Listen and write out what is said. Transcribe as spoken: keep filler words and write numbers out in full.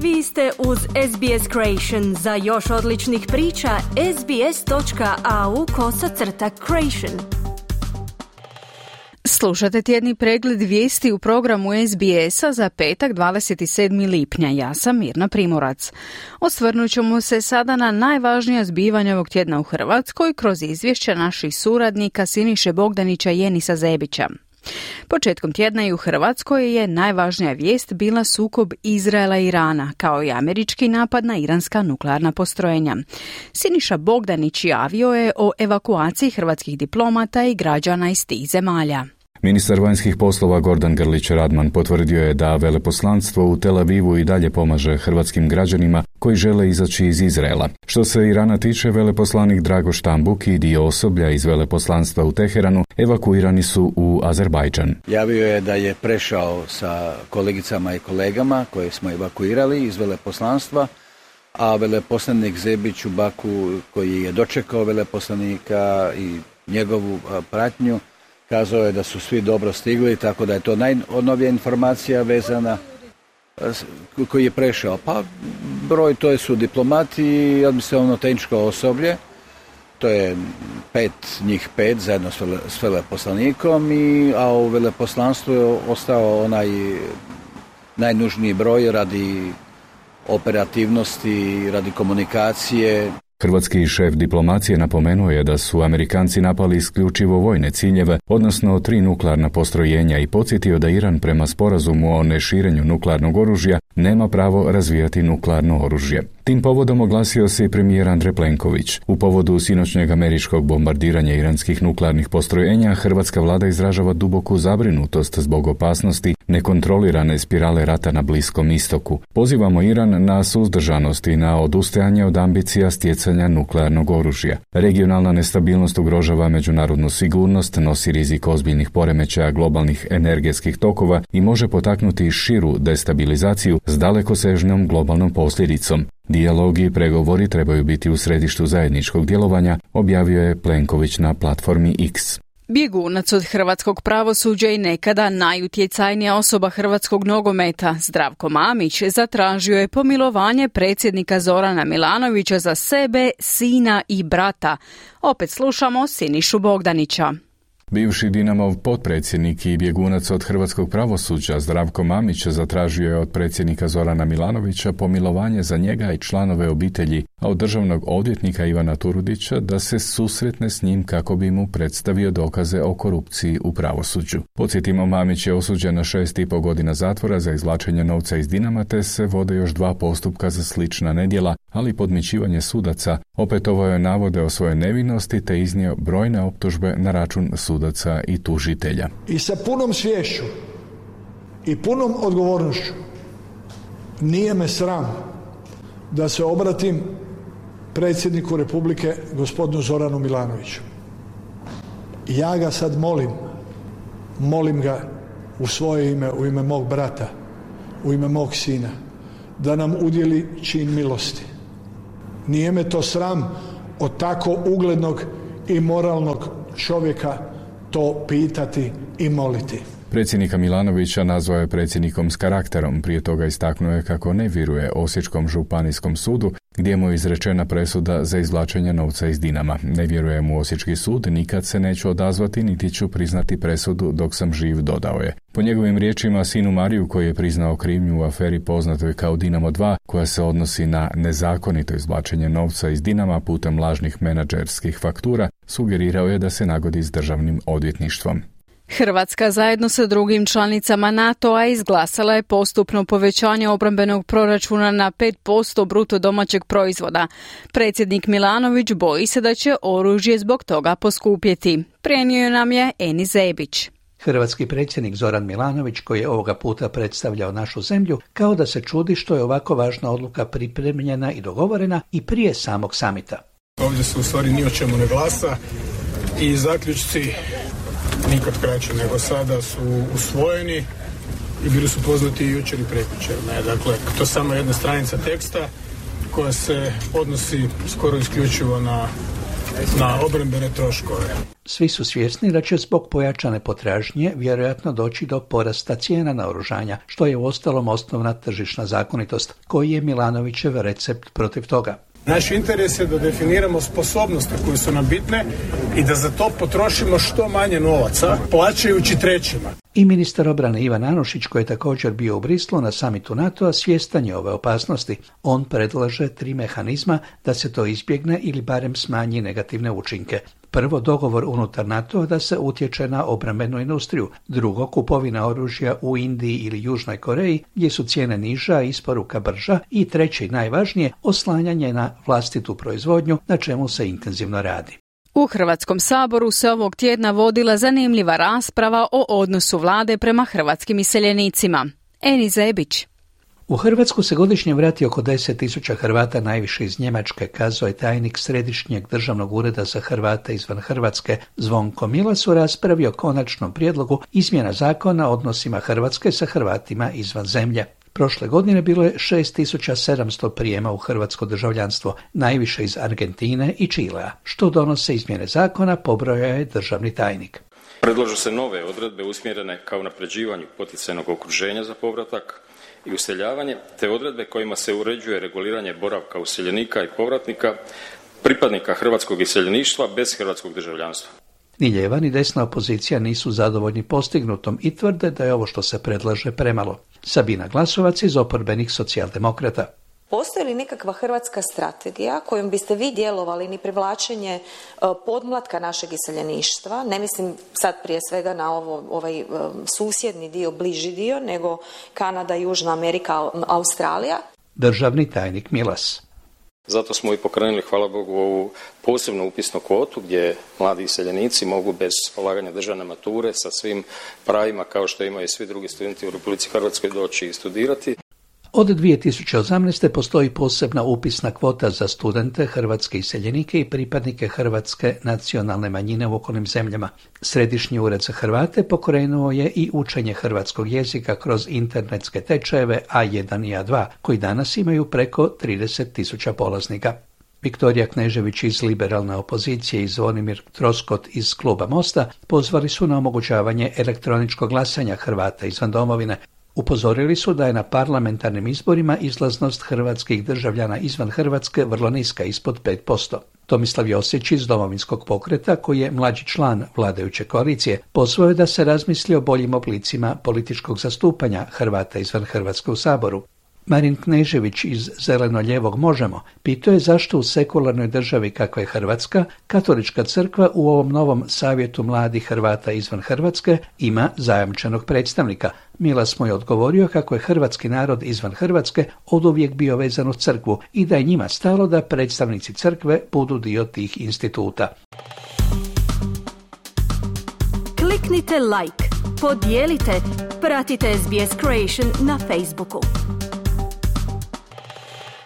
Vi ste uz S B S Creation. Za još odličnih priča, sbs.au kosacrta creation. Slušate tjedni pregled vijesti u programu S B S-a za petak dvadeset sedmog lipnja. Ja sam Mirna Primorac. Osvrnut ćemo se sada na najvažnija zbivanja ovog tjedna u Hrvatskoj kroz izvješća naših suradnika Siniše Bogdanića i Enisa Zebića. Početkom tjedna i u Hrvatskoj je najvažnija vijest bila sukob Izraela i Irana, kao i američki napad na iranska nuklearna postrojenja. Siniša Bogdanić javio je o evakuaciji hrvatskih diplomata i građana iz tih zemalja. Ministar vanjskih poslova Gordan Grlić Radman potvrdio je da veleposlanstvo u Tel Avivu i dalje pomaže hrvatskim građanima koji žele izaći iz Izraela. Što se Irana tiče, veleposlanik Drago Štambuk i dio osoblja iz veleposlanstva u Teheranu evakuirani su u Azerbajdžan. Javio je da je prešao sa kolegicama i kolegama koje smo evakuirali iz veleposlanstva, a veleposlanik Zebić u Baku, koji je dočekao veleposlanika i njegovu pratnju, kazao je da su svi dobro stigli, tako da je to najnovija informacija vezana koji je prešao. Pa broj to su diplomati i administrativno tehničko osoblje, to je pet, njih pet zajedno s veleposlanikom, i, a u veleposlanstvu je ostao onaj najnužniji broj radi operativnosti, radi komunikacije. Hrvatski šef diplomacije napomenuo je da su Amerikanci napali isključivo vojne ciljeve, odnosno tri nuklearna postrojenja, i podsjetio da Iran prema sporazumu o neširenju nuklearnog oružja nema pravo razvijati nuklearno oružje. Tim povodom oglasio se i premijer Andrej Plenković. U povodu sinoćnjeg američkog bombardiranja iranskih nuklearnih postrojenja, hrvatska vlada izražava duboku zabrinutost zbog opasnosti nekontrolirane spirale rata na Bliskom istoku. Pozivamo Iran na suzdržanost i na odustajanje od ambicija stjecanja nuklearnog oružja. Regionalna nestabilnost ugrožava međunarodnu sigurnost, nosi rizik ozbiljnih poremećaja globalnih energetskih tokova i može potaknuti širu destabilizaciju s dalekosežnom globalnom posljedicom. Dijalog i pregovori trebaju biti u središtu zajedničkog djelovanja, objavio je Plenković na platformi X. Bjegunac od hrvatskog pravosuđa i nekada najutjecajnija osoba hrvatskog nogometa, Zdravko Mamić, zatražio je pomilovanje predsjednika Zorana Milanovića za sebe, sina i brata. Opet slušamo Sinišu Bogdanića. Bivši Dinamov potpredsjednik i bjegunac od hrvatskog pravosuđa Zdravko Mamić zatražio je od predsjednika Zorana Milanovića pomilovanje za njega i članove obitelji, a od državnog odvjetnika Ivana Turudića da se susretne s njim kako bi mu predstavio dokaze o korupciji u pravosuđu. Podsjetimo, Mamić je osuđen na šest i po godina zatvora za izvlačenje novca iz Dinama, te se vode još dva postupka za slična nedjela, ali podmićivanje sudaca. Opetovao je navode o svojoj nevinosti te iznio brojne optužbe na račun sudaca i tužitelja. I sa punom sviješću i punom odgovornošću nije me sram da se obratim predsjedniku Republike gospodinu Zoranu Milanoviću. Ja ga sad molim, molim ga u svoje ime, u ime mog brata, u ime mog sina, da nam udjeli čin milosti. Nije me to sram od tako uglednog i moralnog čovjeka to pitati i moliti. Predsjednika Milanovića nazvao je predsjednikom s karakterom, prije toga istaknuo je kako ne vjeruje Osječkom županijskom sudu gdje mu je izrečena presuda za izvlačenje novca iz Dinama. Ne vjeruje mu Osječki sud, nikad se neću odazvati niti ću priznati presudu dok sam živ, dodao je. Po njegovim riječima, sinu Mariju, koji je priznao krivnju u aferi poznatoj kao Dinamo dva, koja se odnosi na nezakonito izvlačenje novca iz Dinama putem lažnih menadžerskih faktura, sugerirao je da se nagodi s državnim odvjetništvom. Hrvatska zajedno sa drugim članicama NATO-a izglasala je postupno povećanje obrambenog proračuna na pet posto bruto domaćeg proizvoda. Predsjednik Milanović boji se da će oružje zbog toga poskupjeti. Prenio nam je Enis Zebić. Hrvatski predsjednik Zoran Milanović, koji je ovoga puta predstavljao našu zemlju, kao da se čudi što je ovako važna odluka pripremljena i dogovorena i prije samog samita. Ovdje se u stvari ni o čemu ne glasa i zaključci nikad kraće nego sada su usvojeni i bili su poznati i jučer i prekjučer. Dakle, to je samo jedna stranica teksta koja se odnosi skoro isključivo na na obrambene troškove. Svi su svjesni da će zbog pojačane potražnje vjerojatno doći do porasta cijena naoružanja, što je uostalom osnovna tržišna zakonitost, koji je Milanovićev recept protiv toga. Naš interes je da definiramo sposobnosti koje su nam bitne i da za to potrošimo što manje novaca, plaćajući trećima. I ministar obrane Ivan Anušić, koji je također bio u Brislu na samitu NATO-a, svjestan je ove opasnosti. On predlaže tri mehanizma da se to izbjegne ili barem smanji negativne učinke. Prvo, dogovor unutar NATO-a da se utječe na obrambenu industriju. Drugo, kupovina oružja u Indiji ili Južnoj Koreji, gdje su cijene niža, a isporuka brža. I treće i najvažnije, oslanjanje na vlastitu proizvodnju, na čemu se intenzivno radi. U Hrvatskom saboru se ovog tjedna vodila zanimljiva rasprava o odnosu vlade prema hrvatskim iseljenicima. Eni Zebić. U Hrvatsku se godišnje vrati oko deset tisuća Hrvata, najviše iz Njemačke, kazao je tajnik Središnjeg državnog ureda za Hrvate izvan Hrvatske Zvonko Milas u raspravi o konačnom prijedlogu izmjena zakona o odnosima Hrvatske sa Hrvatima izvan zemlje. Prošle godine bilo je šest tisuća sedamsto prijema u hrvatsko državljanstvo, najviše iz Argentine i Čilea. Što donose izmjene zakona, pobrojao je državni tajnik. Predlažu se nove odredbe usmjerene ka unapređivanju poticajnog okruženja za povratak i useljavanje, te odredbe kojima se uređuje reguliranje boravka useljenika i povratnika, pripadnika hrvatskog iseljeništva bez hrvatskog državljanstva. Ni lijeva ni desna opozicija nisu zadovoljni postignutom i tvrde da je ovo što se predlaže premalo. Sabina Glasovac iz oporbenih socijaldemokrata. Postoji li nekakva hrvatska strategija kojom biste vi djelovali ni privlačenje podmlatka našeg iseljeništva? Ne mislim sad prije svega na ovo, ovaj susjedni dio, bliži dio, nego Kanada, Južna Amerika, Australija. Državni tajnik Milas. Zato smo i pokrenuli, hvala Bogu, ovu posebnu upisnu kvotu gdje mladi iseljenici mogu bez polaganja državne mature sa svim pravima kao što imaju svi drugi studenti u Republici Hrvatskoj doći i studirati. Od dvije tisuće osamnaeste. postoji posebna upisna kvota za studente, hrvatske iseljenike i pripadnike hrvatske nacionalne manjine u okolnim zemljama. Središnji ured za Hrvate pokrenuo je i učenje hrvatskog jezika kroz internetske tečajeve A jedan i A dva, koji danas imaju preko trideset tisuća polaznika. Viktorija Knežević iz liberalne opozicije i Zvonimir Troskot iz kluba Mosta pozvali su na omogućavanje elektroničkog glasanja Hrvata izvan domovine. Upozorili su da je na parlamentarnim izborima izlaznost hrvatskih državljana izvan Hrvatske vrlo niska, ispod pet posto. Tomislav Josić iz Domovinskog pokreta, koji je mlađi član vladajuće koalicije, pozvao je da se razmisli o boljim oblicima političkog zastupanja Hrvata izvan Hrvatske u Saboru. Marin Knežević iz Zeleno-ljevog Možemo pitao je zašto u sekularnoj državi kakva je Hrvatska, Katolička crkva u ovom novom savjetu mladih Hrvata izvan Hrvatske ima zajamčenog predstavnika. Milas mu je odgovorio kako je hrvatski narod izvan Hrvatske oduvijek bio vezan uz crkvu i da je njima stalo da predstavnici crkve budu dio tih instituta. Kliknite like, podijelite, pratite S B S Creation na Facebooku.